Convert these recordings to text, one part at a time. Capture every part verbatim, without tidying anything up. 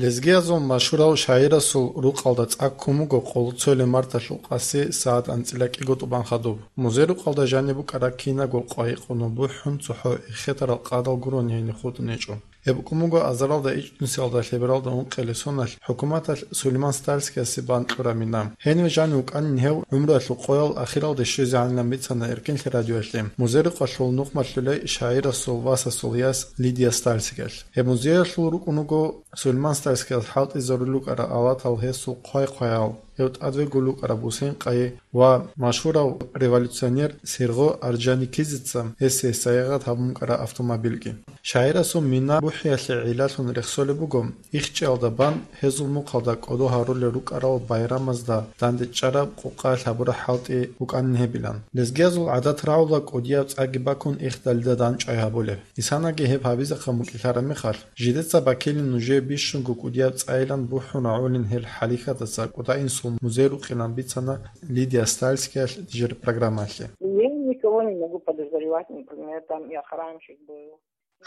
Лезгиязул машгьурав шагӀирасул рукъалда цӀаккун буго къолоцоялъул марталъул къаси сагӀат анцӀила кӀиго тӀубан хадуб. Музей-рукъалда жаниб букӀараб кинабго къвайи-къуну бухӀун цохӀо эхетарал къадал гурони гьениб хутӀун гьечӀо. Гьеб букӀун буго азаралда ичӀнусиялда лъебералда ункъелеб соналъ хӀукуматалъ Сулейман Стальскиясе бан кьураб мина. Гьенив жанив вукӀанин гьев гӀумруялъул къоял ахиралде щвезегӀанилан бицана Эркинлъи радиоялъе музей-рукъалъул нухмалъулей шагӀирасул васасул яс Лидия Стальскиялъ. Гьеб музеялъул рукӀун вуго Сулейман Стальскияс хӀалтӀизарулел рукӀарал алатал гьесул хъвай-хъваял, гьев тӀадвегулел рукӀараб бусен-къайи ва машгьурав революционер Сергъо Орджоникидзеца гьесие сайигъат гьабун букӀараб автомобильги. ШагӀирасул мина бухӀиялъе гӀиллалъун рехсолеб буго, ихчӀиялда бан гьезул мухъалда кӀодо гьарулел рукӀарал байрамазда дандечӀараб къукъаялъ гьабураб хӀалтӀи букӀанин гьебилан. Лезгиязул гӀадат рагӀула кӀудияб цӀаги бакун ихдалида дандчӀвай гьабулеб. Исанаги гьеб гьабизехъан букӀинараб мехалъ, жидеца бакилин нужее бищунго кӀудияб цӀайилан бухӀун рагӀулин гьел хӀалихьадаса кӀуда-инсул музей-рукъилан бицана Лидия Стальскиялъ жер программалъе. Я никого не могу подозревать, например, там и охранщик был.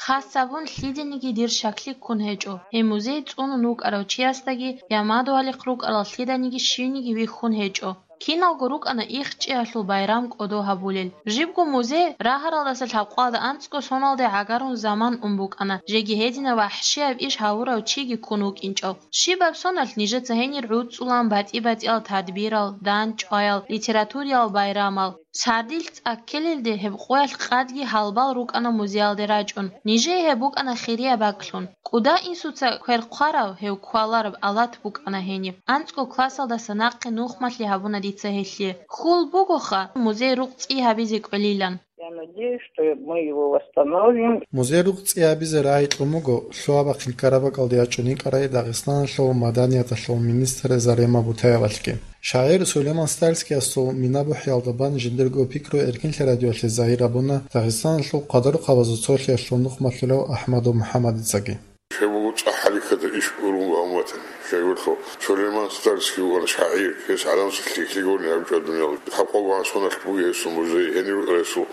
Хасабун лъидениги дир шаклъи ккун гьечӀо. Гьеб музей цӀунун вукӀарав чиясдаги я мадугьалихъ рукӀарал лъиданиги щивниги вихьун гьечӀо. Киналго рукӀана ихчӀиялъул байрам кӀодо гьабулел. Жибго музей рагьаралдаса лъабкъоялда анцӀго соналде гӀагарун заман ун букӀана, жеги гьединаб вахӀшияб иш гьавурав чиги ккун вукӀинчӀев. Щибаб соналъ нижеца гьенир гӀуцӀулан батӀи-батӀиял тадбирал, дандчӀваял, литературиял байрамал. Сардилъ цӀаккелелде гьеб къоялъ къадги гьалбал рукӀана музеялде рачӀун. Нижее гьеб букӀана хирияб бакӀлъун. КӀуда-инсуца квер хъварав, гьев квалараб алат букӀана гьениб. АнцӀго классалдаса нахъе нухмалъи гьабуна дица гьелъие. Хьул бугоха, музей-рукъ цӀи гьабизе кӀвелилан. Я надеюсь, что мы его восстановим. Музей-рукъ цӀи гьабизе рагӀи кьун буго, лъугьа-бахъин ккараб бакӀалде ячӀун йикӀарай Дагъистаналъул маданияталъул министр Зарема Бутаевалъги. ШагӀир Сулейман Стальскиясул мина бухӀиялда бан жиндирго пикру Эркинлъи радиоялъе загьир гьабуна Дагъистаналъул къадарухъабазул цолъиялъул нухмалъулев Ахмадов МухӀаммадицаги. Гьеб буго цӀакъ хӀалихьадаб иш урун ва умматани. Жагьурлъул Сулейман Стальский вукӀана шагӀир, гьес гӀадамазе лъикӀлъи гурони гьабичӀо дуниялалде. Лъабкъого соналъ буго гьесул музей, гьенив рукӀарал гьесул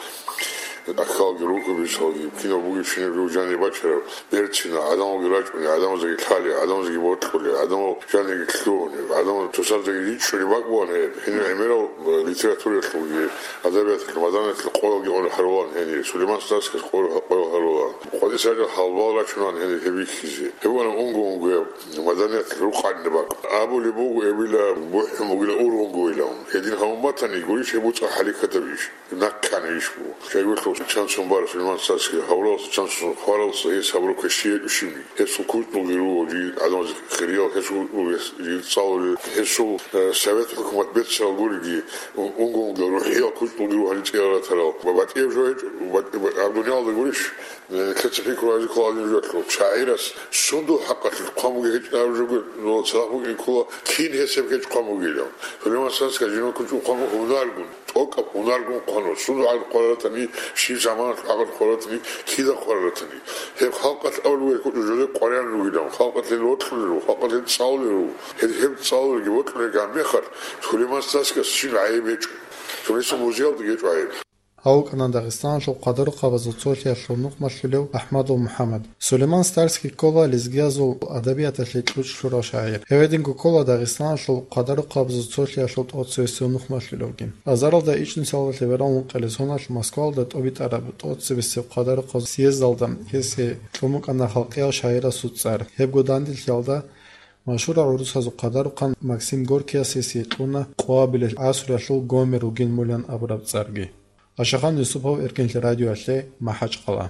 акалги, рукӀубицалги, кинав бугебщинаб жаниб бачараб, берцинал, гӀадамалги рачӀуни, гӀадамазеги лъали, гӀадамазеги бокьули, гӀадамал жаниги лъугьуни, гӀадамал тусарзеги ричӀчӀуни бакӀ бугӀан гьеб. Гьенир гӀемерал литератураялъулги, адабияталъул, маданияталъул къоялги гӀоло гьарулаан гьенир, Сулейман Стальскияс къоял гьарулаан. КъватӀисаги гьалбал рачунан гьенир гьеб бихьизе. Гьеб бугӀана унго-унгояб маданияталъул рукъанни бакӀ. Абулеб буго, эбила бухӀун бугила ургъунгойилан. Гьедин гьабун батани, гурищ гьеб буго цӀакъ хӀалихьадаб иш. Нахъани иш буго. Жагьурлъул чанцун бара Сулейман Стальский, гьавуралса чанцун хваралса гьес гьабураб квешлъи гьечӀущинги. Гьесул кучӀдулги руго жий гӀадамаз хириял, гьесул кучӀдулги жий цӀалулел, гьесул, э, совет хӀукумат беццарал гуриги, ун-, унго-унгоял рухӀиял кучӀдулги руго гьанив цӀиялда ратарал. Ва батӀияб жо гьечӀо, батӀи-, гьаб дуниялалда гурищ, э, лъица пикру гьаризе ккола гьадин жо гьелъул. ШагӀирас сундул хӀакъалъулъ хъван бугеб гьечӀинаб жо гуро, цадахъ букӀин ккола, кин гьес гьеб гьечӀо хъван бугилан. Сулейман Стальскияс жинав кучӀдул хъван буго гьунаргун. ТӀокӀаб гьунаргун хъвана, сундул хӀакъалъулъ хъваратани, щиб заманалъул хӀакъалъулъ хъваратани, кида хъвараратани. Гьеб халкъалъ абулеб гьечӀо, жо къваригӀун ругилан, халкъалъе бокьулел руго, халкъалъе цӀалулел руго. Гьеб, гьеб цӀалулелги бокьулелги гьаб мехалъ, Сулейман Стальскияс щиб гӀайиб гьечӀо. Сулейман Стальскиясул музеялдаги гьечӀо гӀайиб. Гьав вукӀана Дагъистаналъул къадарухъабазул цолъиялъул нухмалъулев Ахмадов МухӀаммад. Сулейман Стальский ккола лезгиязул адабияталъе кьучӀ лъурав шагӀир. Гьев гьединго ккола Дагъистаналъул къадарухъабазул цолъиялъул тӀоцебесев нухмалъулевги. Азаралда ичӀнусиялда лъебералда ункъелеб соналъ Москваялда тӀобитӀараб тӀоцебесеб къадарухъабазул съездалда гьесие кьун букӀана халкъиял шагӀирасул цӀар. Гьебго данделъиялда машгьурав гӀурусазул къадарухъан Максим Горькияс гьесие кьуна къоабилеб гӀасруялъул Гомер вугин мулан абураб цӀарги. Ашахан Юсупов, Эркинлъи радиоялъе, МахӀачкъала.